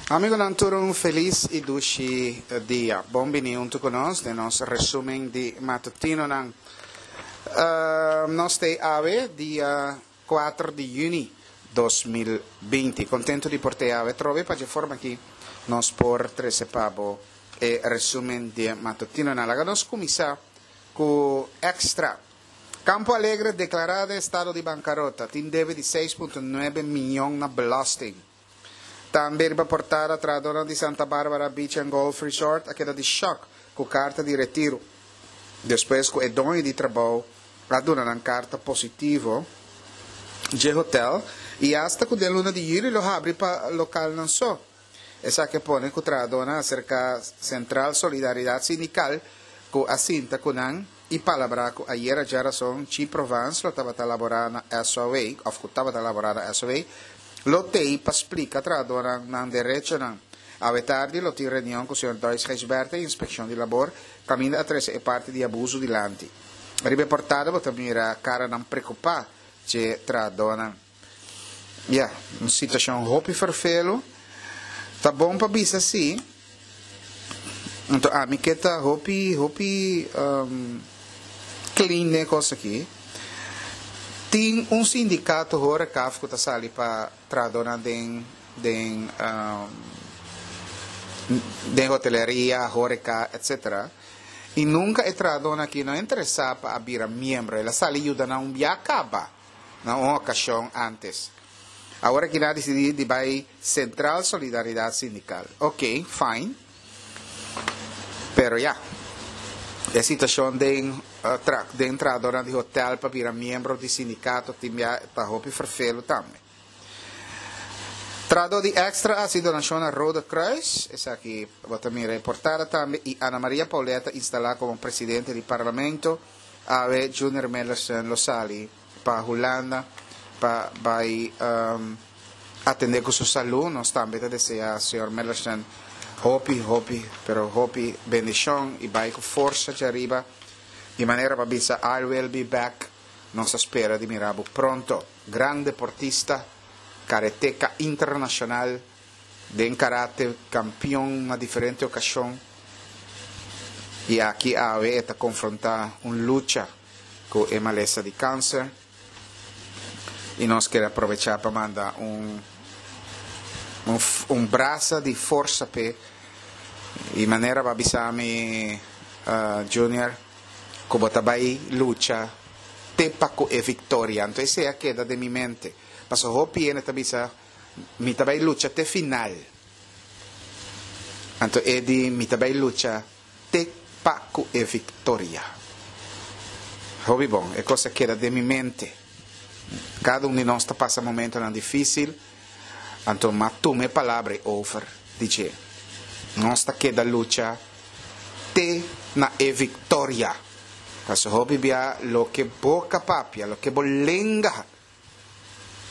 Amigonan tur un felis y dushi dia. Bon bini hunto cu nos den nos resumen di matutinonan. Nos t'ey awe dia kuater di juni 2020. Contento di por t'ey awe trobe pa dje forma aki nos por trece pa bo e resumen di matutinonan. Laga nos cuminsa cu Extra. Campo Alegre declara den estado di bancarota, tin debe di seis punto nuebe miyon na belasting. Tambe riba portada trahadornan di Santa Barbara Beach and Golf Resort a keda di shock cu carta di retiro, despues cu e doño di trabou a duna nan carta positivo dje hotel y hasta cu den luna di juli lo habri pa localnan so. Esaki a pone cu trahadornan a acerca Central Solidaridad Sindical cu a sinta cu nan y palabrá cu ayera djarason Chi Provence lo tabata laborá na SOW of cu tabata laborá na SOW lo tei pa splica trahadornan nan derechonan. Awe tardi lo tin reunion cu señor Dois Gijsbertha y Inspeccion di Labor caminda a trece e parti di abuso dilanti. Riba e portada bo ta mira caranan preocupa dje trahadornan. Ya, un situacion hopi ferfelu. Ta bon pa bisa si. Anto ami ke ta hopi, hopi um, clean den e cos aki. Tin un sindicato horecaf cu ta sali pa trahadornan den, den, um, den hoteleria, horeca, etcetera. Y nunca e trahadornan aki no a interesa pa a bira miembro. El a sali yuda nan un bia caba. na un ocasion antes. Awor aki nan a dicidi di bay Central Solidaridad Sindical. Ok, fine. Pero ya, e situacion den den trahadornan di hotel pa bira miembro di sindicato tin bia ta hopi ferfelu tambe. Trahador di Extra a haci donacion na Rode Kruis, esaki bo ta mira e portada tambe, y Ana Maria Pauletta instala como presidente di Parlamento. Awe Junior Millerson lo sali pa Hulanda pa bai atende ku su salu. Nos tambe ta desea señor Millerson hopi hopi pero hopi bendishon i bai ku forsa djariba. Di manera pa bisa I will be back. Nos ta spera di mira bo pronto. Gran deportista, karateka internashonal. Den karate kampion na diferente okashon i aki awe e ta konfrontá un lucha ku e malesa di kanser i nos kere aprovechá pa manda un un brasa di forsa p'e i manera bo a bisa mi Junior ku bo ta bai lucha te pa ku e viktoria anto esei a keda den mi mente pasobra hopi hende ta bisa Mi ta bai lucha te final. Anto e di, Mi ta bai lucha te pa ku e viktoria. Hopi bon, e kos a keda den mi mente. Kada un di nos ta pasa momentonan difísil, anto m'a tuma e palabra ei over di dje. Nos ta keda lucha te na e viktoria. Pasobra hopi bia loke boka papia, loke bo lenga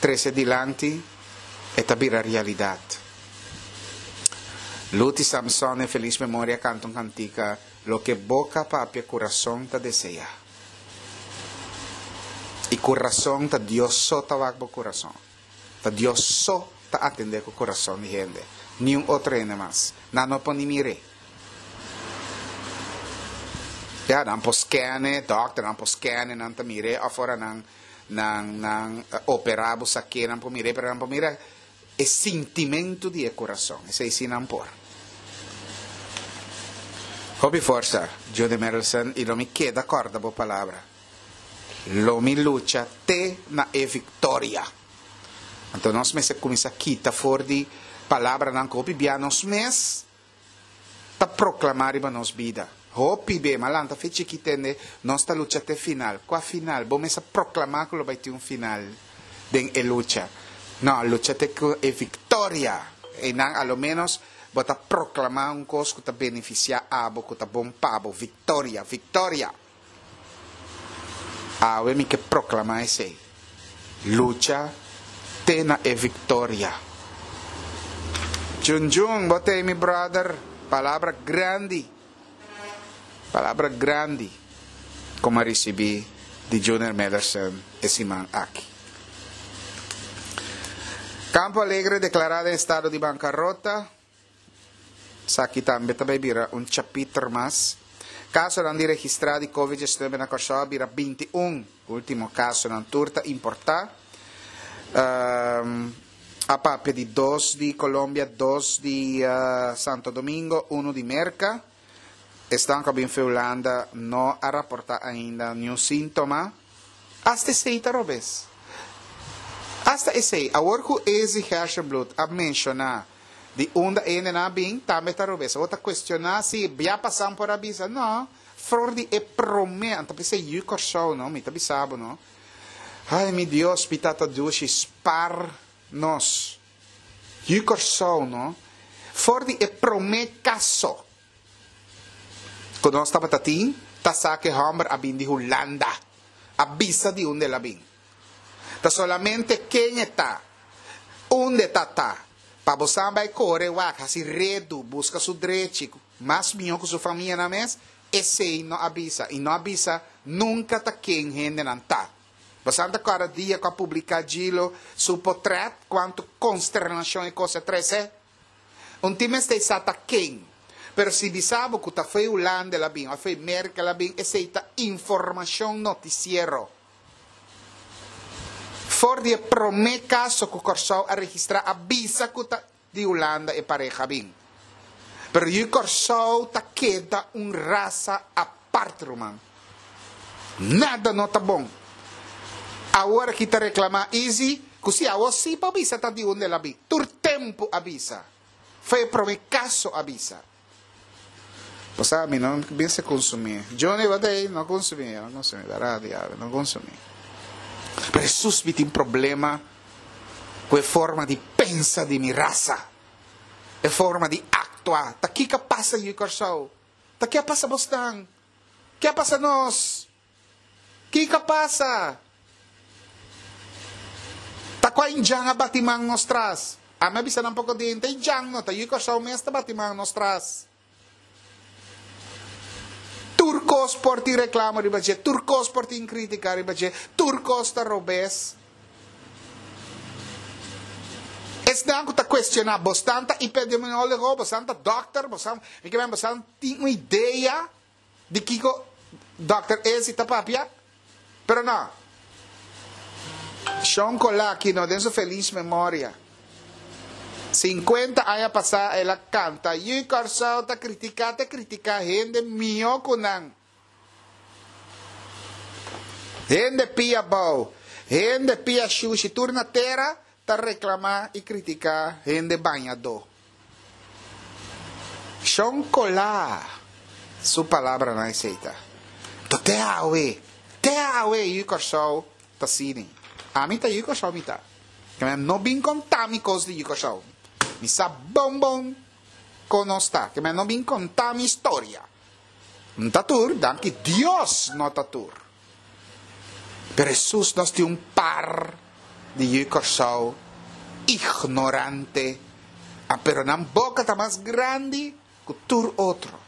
trece dilanti e ta bira realidad. Luti Samson en feliz memoria canta un cantica Loke boca papia curason ta desea. Y curason ta Dios so ta wak bo curason. Ta Dios so ta atende cu curason di hende. Niun otro hende mas. Nan no por ni mir'e. Ya, nan por scan e, dokternan por scan e, nan ta mir'e of ora nan Nan nan opera bo saké nan por mir'é pero nan por mira e sintimentu di e kurason esei si nan por. Hopi forsa Judy Merelson i lo mi keda kòrda bo palabra. Lo mi lucha te na e viktoria. Anto nos mester kuminsá kita for di palabranan ku hopi bia nos mes ta proclama riba nos bida. Hopi be, ma lanta fe chiki tende, nos ta lucha te final. Cua final? Bo mes a proclama cu lo bay tin un final den e lucha. No, lucha te cu e victoria. Eynan a lo menos bo ta proclama un cos cu ta beneficia abo, cu ta bon pa bo. Victoria, victoria! Awe mi ke proklamá esei. Lucha te na e viktoria. Jun Jun, bo t'ei mi brother. Palabra grandi. Palabra grandi ku mi a risibí di Junior Mederson e siman aki. Campo Alegre deklará den estado di bankarota. Esaki tambe ta bai bira un chapiter mas. Kasonan di registrá di Covid 19 na Kòrsou a bira 21. Último kasonan tur ta importá. A papia di dos di Colombia, dos di Santo Domingo, unu di Merka. Esnan ku a bin fe Hulanda no a raportá ainda niun síntoma. Asta esei ta robes. Asta esei, awor ku Izzy Gerstenbluth a menshoná di unda e hendenan a bin, tambe ta robes. Awor ta kuestioná si bia pasan por a bisa. No, for di e promé, anto p'esei yu Kòrsou no, mi ta bisa bo no. Ai mi Dios, mi Tata dushi, spar nos. Yu Kòrsou no, for di e promé kaso ku nos tabata tin, ta sa ku e hòmber a bin di Hulanda. A bisa di unda el a bin. Ta solamente ken e ta, unda e ta ta, pa bo sa bai kore wak, hasi redu, buska su drechi, mas mihó ku su famianan mes, esei no a bisa. I no a bisa nunka ta ken hendenan ta. Bosan ta kòrda dia ku a publiká Gilo su potrèt, kuantu konsternashon e kos a trese? Un tin mester sa ta ken. Pero si bisa bo ku ta fo'i Hulanda el a bin òf fo'i Merka el a bin, esei ta informashon notisiero. For di e promé kaso ku Kòrsou a registrá a bisa ku ta di Hulanda e pareha a bin. Pero yu Kòrsou ta keda un rasa apart ruman. Nada no ta bon. Awor aki ta reklamá Izzy ku si awor sí por bisa ta di unda el a bin. Tur tempu a bisa. Fo'i e promé kaso a bisa. Bo sa mi no mester kunsumí. Johnny bo ta ei? No kunsumí, no kunsumí. Bèrdat diabel, no kunsumí. Pero Hesus mi tin problema ku e forma di pensa di mi rasa. E forma di aktua. Ta kiko a pasa yu Kòrsou? Ta ke a pasa bosnan? Ke a pasa nos? Kiko a pasa? Ta kua indjan a bati man nos tras? Ami a bisa nan poko di hende, indjan no, ta yu Kòrsou mes ta bati man nos tras. Tur kos por tin reklamo riba dje, tur kos por tin krítika riba dje, tur kos ta robes. Esnan ku ta kuestioná, bosnan ta epidemiólogo, bosnan ta dòkter, bosnan, mi ke men bosnan tin un idea di kiko Dòkter Ezi ta papia? Pero no. Shon Kolaki no den su felis memoria. 50 aña pasá el a kanta, Yu Kòrsou ta kritiká te kritiká hende mihó ku nan. Hende pia bou, hende pia shushi tur na tera ta reklamá i kritiká hende bañadó. Shon Colá su palabranan esei ta. To te awe, te awe yu Kòrsou ta sini. Ami ta yu Kòrsou mi ta. Ke men no bin konta mi kos di yu Kòrsou. Mi sa bon bon kon nos ta. Ke men no bin konta mi storia. N ta tur, danki Dios no ta tur. Pero Hesus nos tin un par di yu Kòrsou ignorante, a pero nan boka ta mas grandi ku tur otro.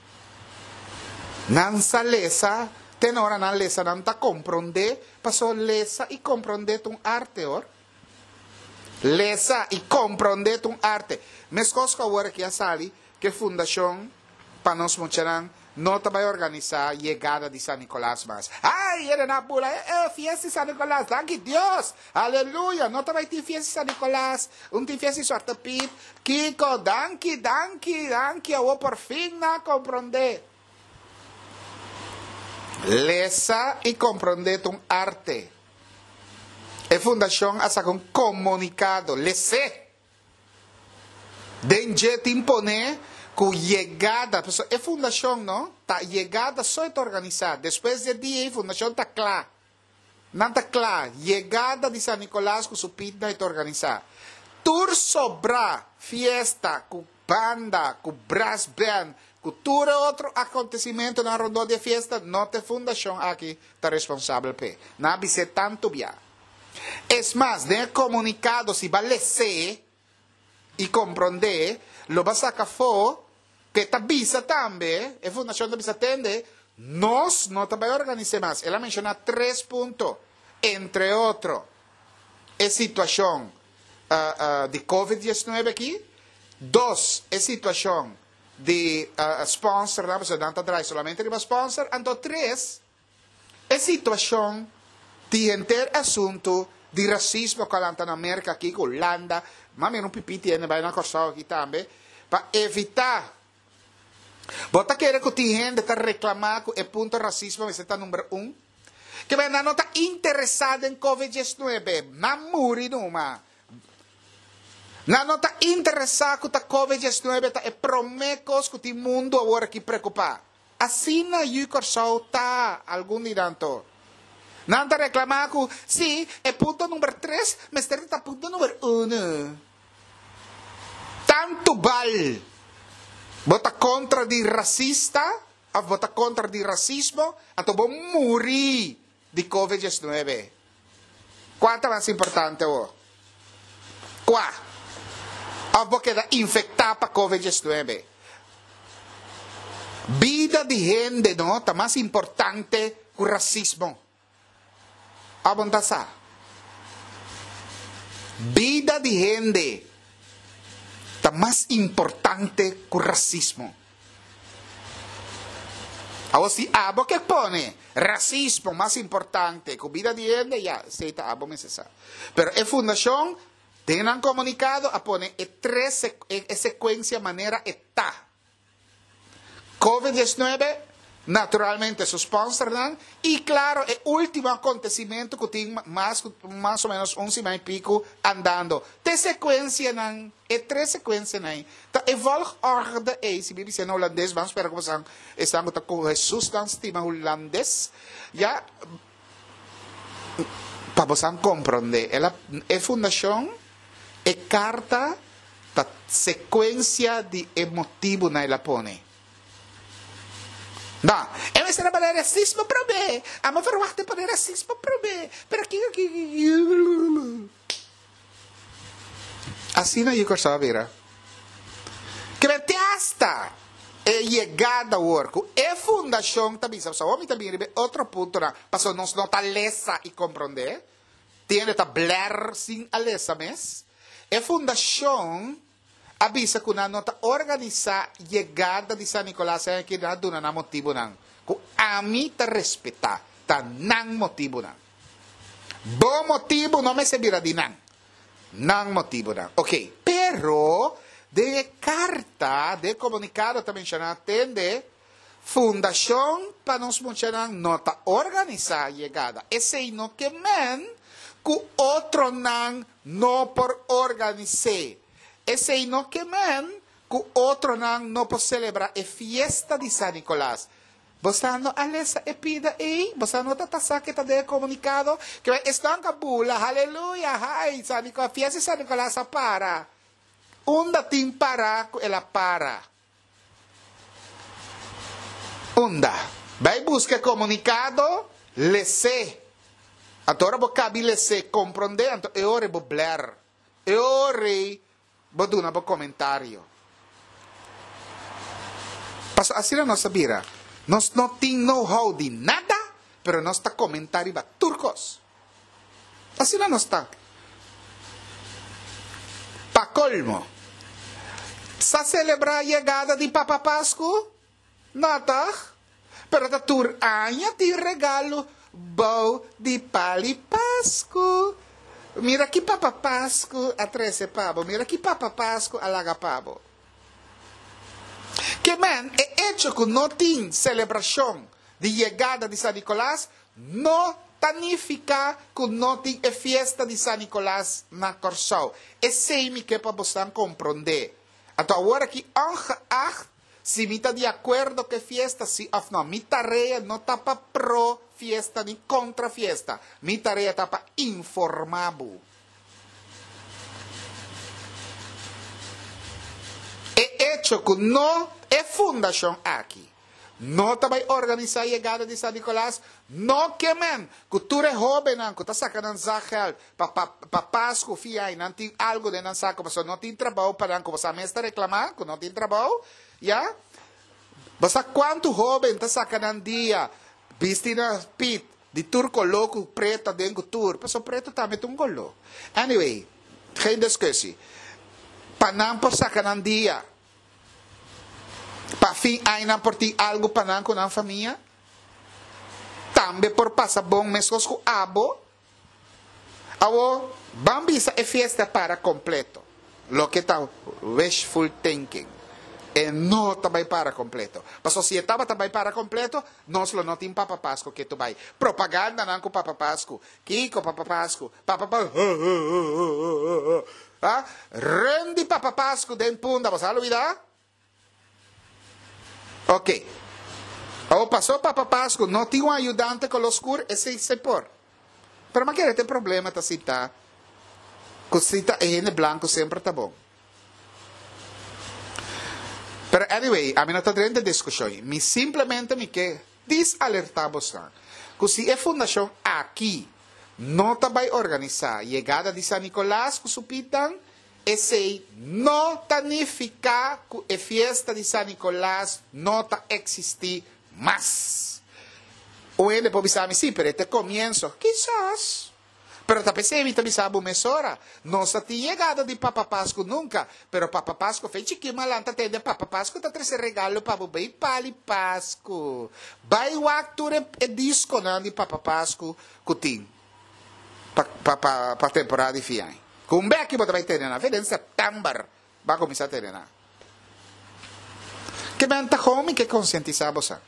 Nan sa lesa, te na ora nan lesa nan ta komprondé, paso lesa i komprondé ta un arte hoor. Lesa i komprondé ta un arte. Meskos ku awor aki a sali ku e fundashon pa nos muchanan no ta bai organisá yegada di San Nicolas mas. Ay, hende nan a bula, e e, fiesta di San Nicolas, danki Dios! Aleluya! No ta bai tin fiesta di San Nicolas, un tin fiesta di Zwarte Piet. Kiko, danki, danki, danki, awor por fin nan a komprondé. Lesa i komprondé ta un arte. E fundashon a saka un komunikado, les'é! Den dje tin pone ku yegada, pasobra e fundashon no ta yegada so e ta organisá, despues di e dia ei fundashon ta kla, nan ta kla, yegada di San Nicolas ku su pitnan e ta organisá. Tur sobrá fiesta ku banda, ku brass band, ku tur e otro akontesimentonan rondó di e fiesta no ta e fundashon aki ta responsabel p'e. Nan a bis'é tantu bia. Es mas, den e komunikado si bo a les'é i komprondé, lo bo a saka afó ku e ta bisa tambe, e fundashon ta bisa, Tende, nos no ta bai organis'é mas. El a menshoná tres punto, entre otro, e situashon di covid 19 aki, dos, e situashon. di sponsornan, pasobra nan ta draai solamente riba sponsor. Anto tres, e situashon di henter asuntu di rasismo ku a lanta na Merka aki, ku Hulanda, mas mira un pipiti hende bai na Kòrsou aki tambe, pa evitá. Bo ta kere ku tin hende ta reklamá ku e punto rasismo mester ta number un? Ke men nan no ta interesá den Covid 19, nan muri numa. Nan no ta interesá ku ta Covid 19 ta e promé kos ku tin mundu awor aki preokupá. Asina yu Kòrsou ta, algun di nan to. Nan ta reklamá ku, sí, e punto number tres mester ta punto number uno. Tantu bal bo ta kontra di rasista òf bo ta kontra di rasismo, anto bo muri di Covid 19. Kua ta mas importante awor? Kua? Òf bo keda infektá pa Covid 19? Bida di hende no ta mas importante ku rasismo. Òf bo no ta sa? Bida di hende ta mas importante ku rasismo. Awor si abo ke pone rasismo mas importante ku bida di hende, ya, esei ta abo mester sa. Pero e fundashon den nan komunikado a pone e tres e sekuensia manera e ta. Covid 19, naturalmente su sponsornan y claro e ultimo acontecimento cu tin mas cu mas o menos un siman y pico andando. Te secuencianan, e tres secuencianan ey ta e volgorde ey, si mi bisa na Hulandes, ban spera cu bosan esnan cu ta cu Jesus nan stima Hulandes, ya, pa bosan comprende. El a, e fundacion, e carta ta secuencia di e motibonan el a pone. No, e mester a pone racismo prome. Amo verwachta e pone racismo prome. Pero kiko kiko. Asina yu Kòrsou a bira. Kibè te asta e yegada awor ku e fundashon ta bisa, pasobra awor mi ta bini riba e otro puntonan, pasobra nos no ta lesa i komprondé, tin hende ta blèr sin a lesa mes. E fundashon a bisa ku nan no ta organisá yegada di San Nicolas aña aki, nan a duna nan motibunan ku ami ta respetá, ta nan motibunan. Bo motibu no mester bira di nan, nan motibunan. Oke, pero den e karta, den e komunikado ta menshoná, tende, Fundashon pa nos muchanan no ta organisá yegada. Esei no ke men ku otronan no por organis'é. Esei no ke men ku otronan no por selebrá e fiesta di San Nikolas. Bo sa no a lesa e pida ei? Bo sa no ta ta sa ke ta den e komunikado? Ke men esnan ka bula, Haleluya, hai, San Nikolas, fiesta di San Nikolas a para. Unda tin pará ku el a para? Unda? Bai buska e komunikado, les'é. Anto ora bo kabi les'é, komprondé, anto e ora ei bo blèr. E ora ei bo duna bo komentario. Pasobra asina nos a bira. Nos no tin know-how di nada, pero nos ta komentá riba tur kos. Asina nos ta. Pa kolmo, sa selebrá yegada di Papa Pasku? No tòg? Pero ta tur aña tin regalo bou di pal'i Pasku. Mira ki Papa Pasku a trese pa bo, mira ki Papa Pasku a laga pa bo. Ke men, e echo ku no tin selebrashon di yegada di San Nikolas No ta nifiká ku no tin e fiesta di San Nikolas na Kòrsou. Esei mi ke pa bosan komprondé. Anto awor aki ongeacht si mi ta di akuerdo ku e fiesta si òf no, mi tarea no ta pa pro fiesta ni kontra fiesta. Mi tarea ta pa informá bo. E echo ku no e fundashon aki No ta bai organisá yegada di San Nicolas? No ke men ku tur e hóbennan ku ta saka nan zakgeld pa pa pa Pasku fia i nan tin algu den nan sako pasobra no tin trabou pa nan ku boso a mes ta reklamá ku no tin trabou ya. Bo sa kuantu hóben ta saka nan dia bisti na pit di tur koló ku pretu aden ku tur pasobra pretu tambe ta un koló anyway geen discussie pa nan por saka nan dia. Pa fin aña nan por tin algu pa nan ku nan famia. Tambe por pasa bon meskos ku abo. Awor, ban bisa e fiesta para kompleto. Loke ta wishful thinking. E no ta bai para kompleto. Pasobra si e tabata bai para kompleto, nos lo no tin Papa Pasku ketu bai. Propagandanan ku Papa Pasku. Kiko Papa Pasku? Papa Pasku. Ha? Ren di Papa Pasku den Punda. Bo sa lubida? Ok. Awor pasó Papa Pasku no tin un ayudante koló skur, esei se por. Pero mi a kere ta e problema ta si ta ku si ta e hende blanku semper ta bon. Pero anyway, ami no ta drenta e diskushon. Mi simplemente mi ke disalertá bosnan ku si e fundashon aki no ta bai organisá yegada di San Nikolas ku su pitnan, Esei no ta nifiká ku e fiesta di San Nikolas no ta eksistí mas. Un hende por bisa mi, Sí, pero e ta e komienso. Kisas. Pero ta p'esei mi ta bisa bo mesora, nos a tin yegada di Papa Pasku nunka, pero Papa Pasku fe chikí malanta tende Papa Pasku ta trese regalo pa bo bei pali Pasku. Bai wak tur e diskonan di Papa Pasku ku tin. Pa pa pa pa temporada di fin aña. Ku un beki bo ta bai tene nan. Fe den sèptèmber bo a kuminsá tene nan. Ke men ta homi ke konsientisá bo sa.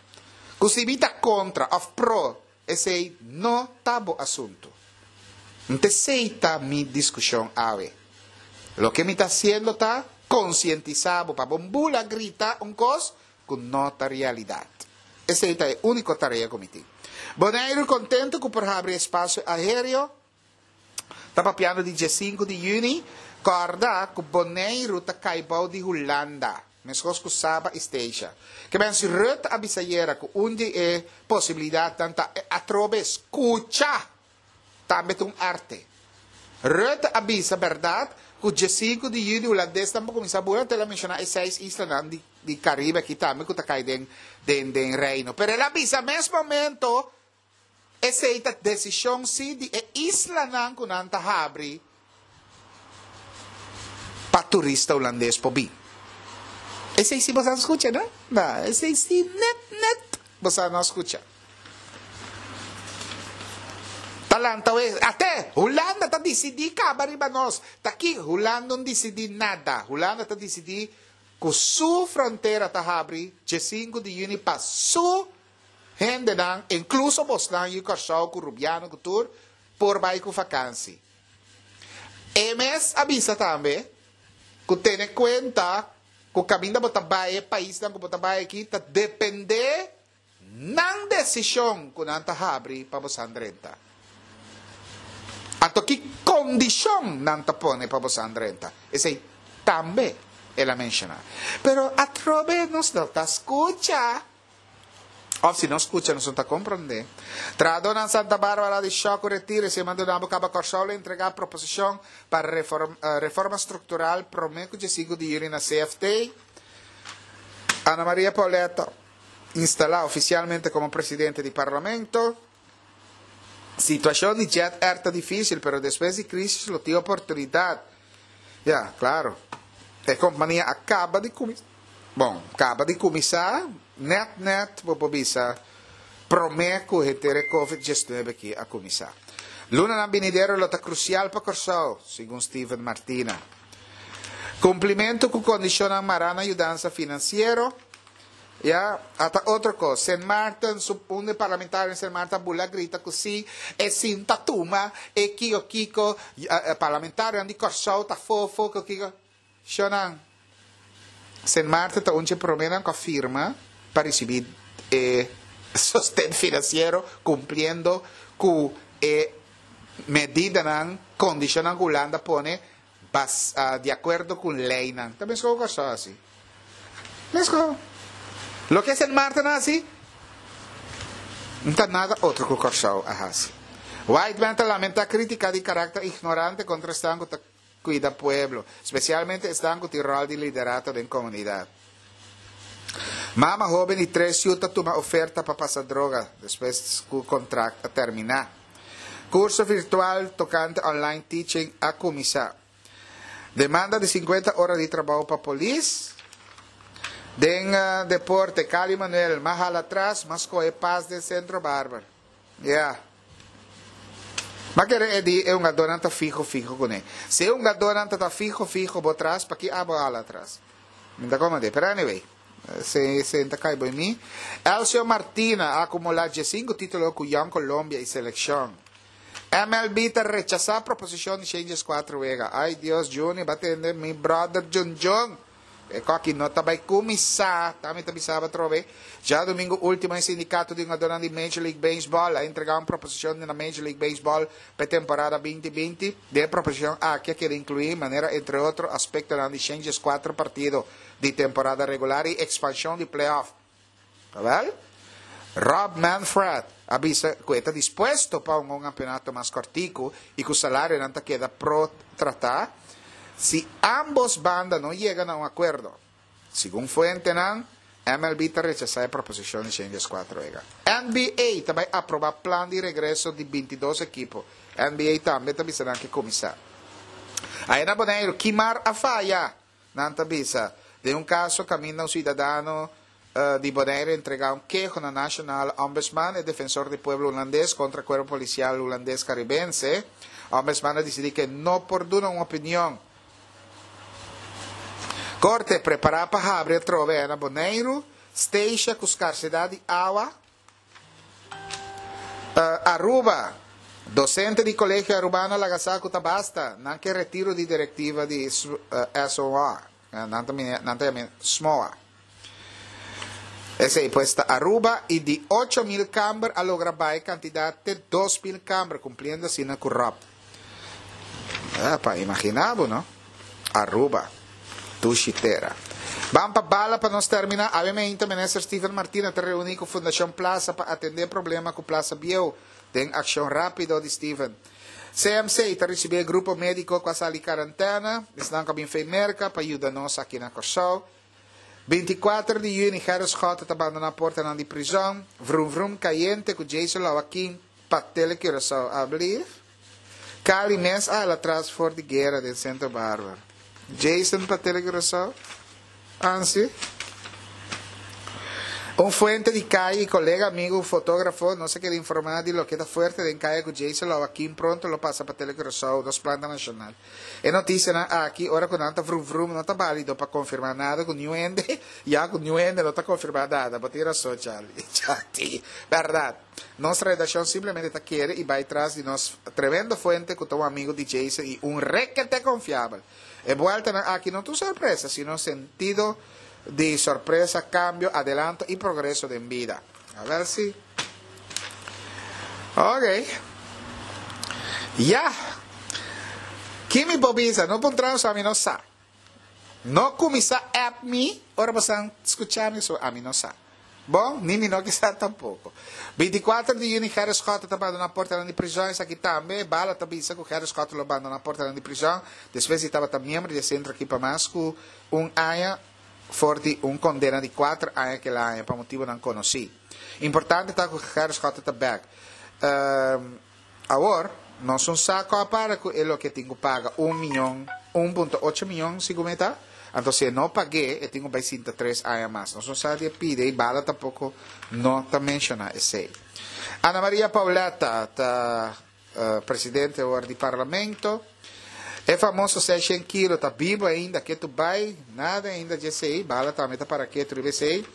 Ku si mi ta kontra òf pro esei no ta bo asuntu. N ta esei ta mi diskushon awe. Loke mi ta hasiendo ta konsientisá bo pa bo bula grita un kos ku no ta realidat. Esei ta e úniko tarea ku mi tin. Boneiru kontentu ku por habri espasio aéreo. Ta papiando di diesinku di yüni. Kòrda ku Boneiru ta kai bou di Hulanda, meskos ku Saba i Statia. Ke men si Rutte a bisa ayera ku un di e posibilidatnan ta e atrobe skucha! Tambe ta un arte. Rutte a bisa bèrdat ku diesinku di yüni hulandesnan por kuminsá bula, anto el a menshoná e seis islanan di di Caribe aki tambe ku ta kai den den den Reino. Pero el a bisa mes momento esei ta desishon si di e islanan ku nan ta habri pa turista hulandes por bin. Esei si boso a skucha no? No, esei si net net boso a no skucha. Ta lanta wes, ate, Hulanda ta disidí kaba riba nos. Ta ki Hulanda no disidí nada. Hulanda ta disidí ku su frontera ta habri djesinku di yüni pa su hendenan, inkluso bosnan yu Kòrsou ku Rubiano ku tur, por bai ku fakansi. E mes a bisa tambe ku tene kuenta ku kaminda bo ta bai, e paisnan ku bo ta bai aki ta dependé Nan desishon ku nan ta habri pa bosan drenta. Anto ki kondishon nan ta pone pa bosan drenta? Esei tambe el a menshoná. Pero atrobe nos no ta skucha. Òf si nos skucha nos no ta komprondé. Trahadónan Santa Bárbara di Shòk ku retiro esei manda bo kaba Kòrsou lo entregá proposishon pa reforma struktural promé ku djesinku di yüni na CFT. Ana Maria Pauletta. instalá ofisialmente komo presidente di Parlamento. Situashon di Jet Air ta difísil, pero despues di krísis lo tin oportunidat. Ya, klaro. E kompania a kaba di kuminsá, bon, kaba di kuminsá nèt nèt bo por bisa promé ku henter e Covid diesnuebe aki a kuminsá. Lunanan binidero lo ta krusial pa Kòrsou, segun Steven Martina. Kumplimentu ku kondishonnan mará na yudansa finansiero. Ya, ata otro kos. Sint Maarten, su un di parlamentario den Sint Maarten a bula grita ku si e sinta tuma e kiko kiko, parlamentarionan di Kòrsou ta fofo kiko kiko. Shonnan, Sint Maarten ta un dje proménan ku a firma pa risibí e sosten finansiero kumpliendo ku e medidanan, kondishonnan ku Hulanda pone Bas di akuerdo ku leinan. Ta meskos ku Kòrsou hasi. Meskos. Loke Sint Maarten a hasi, no ta nada otro ku Kòrsou a hasi. Whiteman ta lamentá krítika di karakter ignorante kontra esnan ku ta kuida pueblo, spesialmente esnan ku tin ròl di liderato den komunidat. Mama hóben di tres yu ta tuma oferta pa pasa droga despues ku kontrakt a terminá. Curso virtual tocante online teaching a cuminsa. Demanda di 50 ora di trabao pa polis. Den deporte, Cali Manuel, m'a hala atras, m'a scohe pas den Centro Barber. Ya. M'a kere e di e hungadornan ta fiho fiho cune. Si e hungadornan ta ta fiho fiho bo tras, paki abo a hala atras? Mi ta comprende. Pero anyway, se se ta cay bo en mi. Elcio Martina a acumula diescinco titulo cu Young Colombia y seleccion. MLB ta rechasa proposicion di Changes cuatro wega. Ay Dios, Juni, ba tende mi brother Jun Jun. E koki no ta bai kuminsá, ta mi ta bisa bo atrobe. Djadumingu último e sindikato di hungadónan di Major League Baseball a entregá un proposishon na Major League Baseball pa e temporada 2020. Den e proposishon aki a keda inkluí manera entre otro aspektonan di 104 partido di temporada regular i ekspanshon di playoff. Awel, Rob Manfred a bisa ku e ta dispuesto pa hunga un kampeonato mas kòrtiku i ku salarionan ta keda pro tratá si ámbos banda no yega na un akuerdo. Segun fuentenan, MLB ta rechasá e proposishon di 114 wega. NBA ta bai aprobá plan di regreso di 22 ekipo. NBA tambe ta bisa nan ke kuminsá. Aya na Boneiru, Kimar a faya! Nan ta bisa, den un kaso kaminda un siudadano di Bonaire entregá un keho na Nationale Ombudsman, e defensor di pueblo hulandes, kontra Kuerpo Polisial Hulandes Karibense, Ombudsman a disidí ku e no por duna un opinion. Korte prepará pa habri atrobe na Boneiru, Statia ku skarsedat di awa. Aruba, Docente di Colegio Arubano a laga sa cu ta basta, nan ke retiro di directiva di SOA, nan ta nan ta yama SMOA. Esey pues ta Aruba y di 8000 camber a logra baha e cantidad te 2000 camber, cumpliendo asina cu Rob. Pa imagina bo no. Aruba. Dushi tera. Ban pa bala pa nos termina. Awe meinta Minister Steven Martina ta reuni cu Fundacion Plaza pa atende problema cu Plaza Bieu den accion rapido di Steven. CMC ta ricibi e grupo medico cu a sali carantena, esnan cu a bin fey Merca pa yuda nos aki na Corsou. 24 di juni Gerrit Schotte ta bandona portanan di prizon. Vroom vroom cayente cu Jason Lawakin pa Tele Curaçao alblief. Cali mes a hala tras for di guera den Santa Barbara. Jason pa Tele Curaçao? Ansi. Un fuente di calle y colega amigo fotógrafo nos a keda informa di loke ta fuerte den calle cu Jason Lawakin pronto lo pasa pa Tele Curaçao, nos planta nacional. E noticianan aki ora cu nan ta vrum vrum no ta balido pa confirma nada cu niun hende, ya cu niun hende no ta confirma nada. Bo tin rason Charlie. Chati. Berdad. Nos redaccion simplemente ta kere y bay tras di nos tremendo fuente cu ta un amigo di Jason y un rekete confiabel. E bueltanan aki no ta un sorpresa sino sentido di sorpresa, cambio, adelanto y progreso den bida. A ver si. Ok. Ya. Ki mi por bisa? No puntra nos, ami no sa. No cuminsa app mi ora bosan scucha mi, so ami no sa. Bon, ni mi no ke sa tampoco. 24 di juni Gerrit Schotte ta bandona portanan di prison. Esaki tambe, Bala ta bisa cu Gerrit Schotte lo bandona portanan di prison despues di tabata miembro di e centro aki pa mas cu un aña for di un condena di cuater aña kel aña pa motibonan conoci. Importante ta cu Gerrit Schotte ta bek. Awor, nos un sa cu a para cu e loke tin cu paga un miyon, 1.8 miyon segun mi ta, anto si e no pag'é e tin cu bay sinta tres aña mas. Nos no sa di e pide y Bala tampoco no ta menciona esey. Ana Maria Pauletta ta presidente awor di Parlamento. E famoso 600 kilo ta bibo ainda, ketu bay, nada ainda dje esey, Bala tambe ta para ketu riba esey.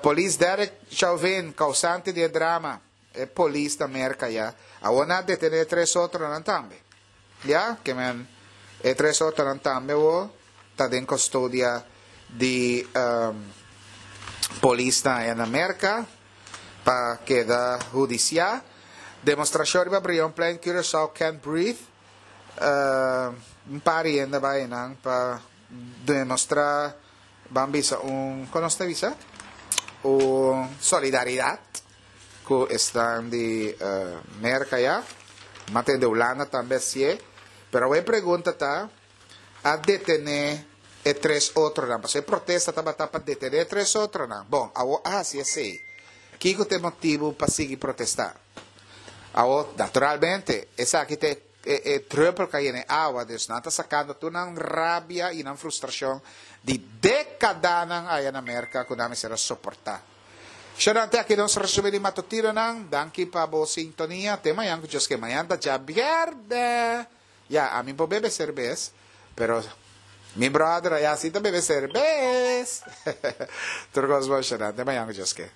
Polis Derek Chauvin, causante di e drama. E polis ta Merca ya. Awor nan a detene e tres otronan tambe. Ya, ke men e tres otronan tambe awor ta den custodia di polisnan aya na Merca pa keda hudicia. Demostracion riba Brionplein, Curaçao can't breathe. Un par di hende a bai einan pa demostra, ban bisa un, kon nos ta bisa? Un solidaridad. Ku esnan di Merka ya, ma tende Hulanda tambe hasié. Pero awor e pregunta ta, a detené e tres otronan? Pasobra e protesta tabata pa detené e tres otronan. Bon, awor a hasi esei. Kiko ta e motibu pa sigui protestá? Awor, naturalmente, esaki ta e. e e druppel kai den awa, dus nan ta sakando tur nan rabia i nan frustrashon di dékadanan aya na Merka ku nan mester a soportá. Shonnan te aki nos resumí di matutinonan. Danki pa bo sintonia. Te mañan ku Dios ke. Mañan ta djabièrnè. Ya, ami por bebe serbes, pero mi brother aya si ta bebe serbes. Tur kos bon, shonnan. Te mañan ku Dios ke.